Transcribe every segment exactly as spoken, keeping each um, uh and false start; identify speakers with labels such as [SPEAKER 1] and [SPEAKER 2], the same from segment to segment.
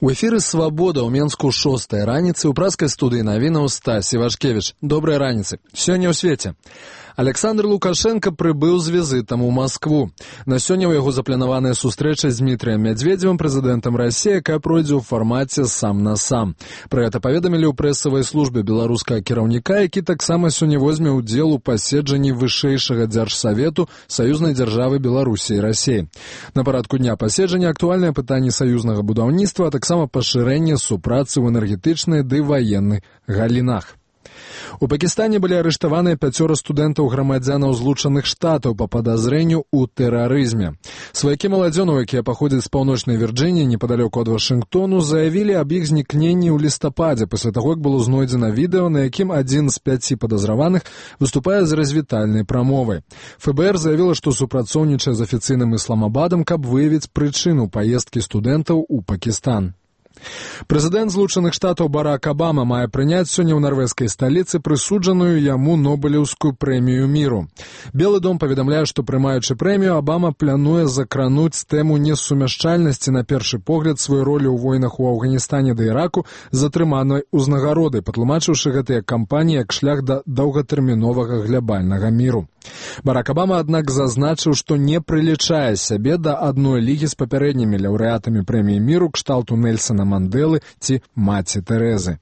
[SPEAKER 1] У эфіры «Свабода» ў Менску шостая раніцы ў праскай студыі навінаў Стась Івашкевіч. Добрай раніцы. Сёння ў свеце. Александр Лукашенко прыбыў з візітам у Маскву. На сёння ў яго запланаваная сустрэча з Дмітрыем Медведзевым, прэзідэнтам Расіі, якая пройдзе ў фармаце сам на сам. Пра гэта паведамілі ў прэсавай службе беларускага кіраўніка, які таксама сёння возьме ўдзел у паседжанні вышэйшага дзяржсавету саюзнай дзяржавы Беларусі і Расіі. На парадку дня паседжання актуальныя пытанні саюзнага будаўніцтва, а таксама пашырэнне супрацы ў энергетычнай ды ваенных галінах. У Пакістане былі арыштаваныя пяцёра студэнтаў-грамадзянаў Злучаных Штатаў па падазрэнню ў тэрарызме. Сваякі маладзёнаў, якія паходзяць з паўночнай Вірджыніі, непадалёку ад Вашынгтону, заявілі аб іх знікненні ў лістападзе, пасля таго, як было знойдзена відэо, на якім адзін з пяці падазраваных выступае з развітальнай прамовай. эф бэ эр заявіла, што супрацоўнічае з афіцыйным Ісламабадам, каб выявіць прычыну паездкі студэнтаў у Пакістан. Прэзідэнт Злучаных Штатаў Барак Абама мае прыняць сёння ў нарвежскай сталіцы прысуджаную яму Нобелеўскую прэмію міру. Белы дом паведамляе, што прымаючы прэмію, Абама плануе закрануць тэму несумяшчальнасці на першы погляд сваёй ролі ў войнах у Афганістане да Іраку з атрыманай узнагародай, патлумачыўшы гэтыя кампаніі як шлях да доўгатэрміновага глябальнага міру. Барак Абама, аднак, зазначыў, што не прылічае сябе да адной лігі з папярэднімі лаўрэатамі прэміі міру кшталту Нельсана Мандэлы ці маці Тэрэзы.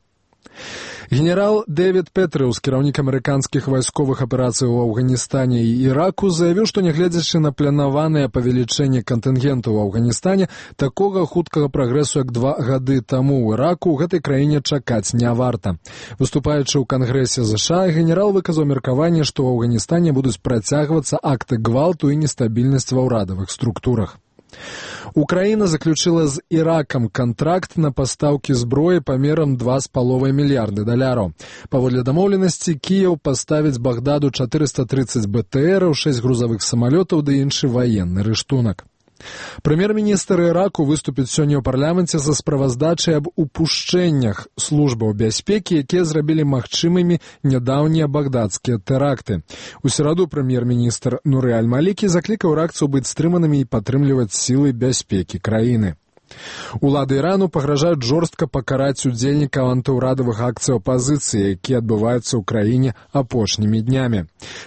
[SPEAKER 1] Генерал Дэвід Петрыус, кіраўнік амерыканскіх вайсковых аперацый у Афганістане і Іраку, заявіў, што нягледзячы на планаванае павелічэнне кантынгенту ў Афганістане, такога хуткага прагрэсу, як два гады таму ў Іраку, ў гэтай краіне чакаць не варта. Выступаючы ў Кангрэсе ЗША, генерал выказаў меркаванне, што ў Афганістане будуць працягвацца акты гвалту і нестабільнасць ва ўрадавых структурах. Украіна заключила з Іракам кантракт на пастаўкі зброі памерам два з паловай мільярды даляраў. Паводле дамоўленасці, Кіеў паставіць Багдаду чатырыста трыццаць бэ тэ эраў, шэсць грузавых самалётаў ды іншы ваенны рыштунак. Прэм'ер-міністр Іраку выступіць сёння ў парламенце за справаздачай аб упушчэннях службаў бяспекі, якія зрабілі магчымымі нядаўнія багдадскія тэракты. У сераду прэм'ер-міністр Нуры Аль-Малікі заклікаў іракцаў быць стрыманымі і падтрымліваць сілы бяспекі краіны. Улады Ірану пагражаюць жорстка пакараць удзельнікаў антыўрадавых акцый апазіцыі, якія адбываюцца ў краіне апошнімі днямі.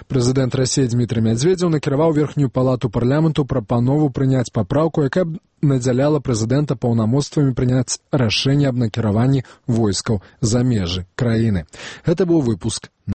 [SPEAKER 1] Прэзідэнт Расіі Дмітрый Медведзеў накіраваў верхнюю палату парламенту прапанову прыняць папраўку, якая б надзяляла прэзідэнта паўнамоцтвамі прыняць рашэнне аб накіраванні войскаў за межы краіны. Гэта быў выпуск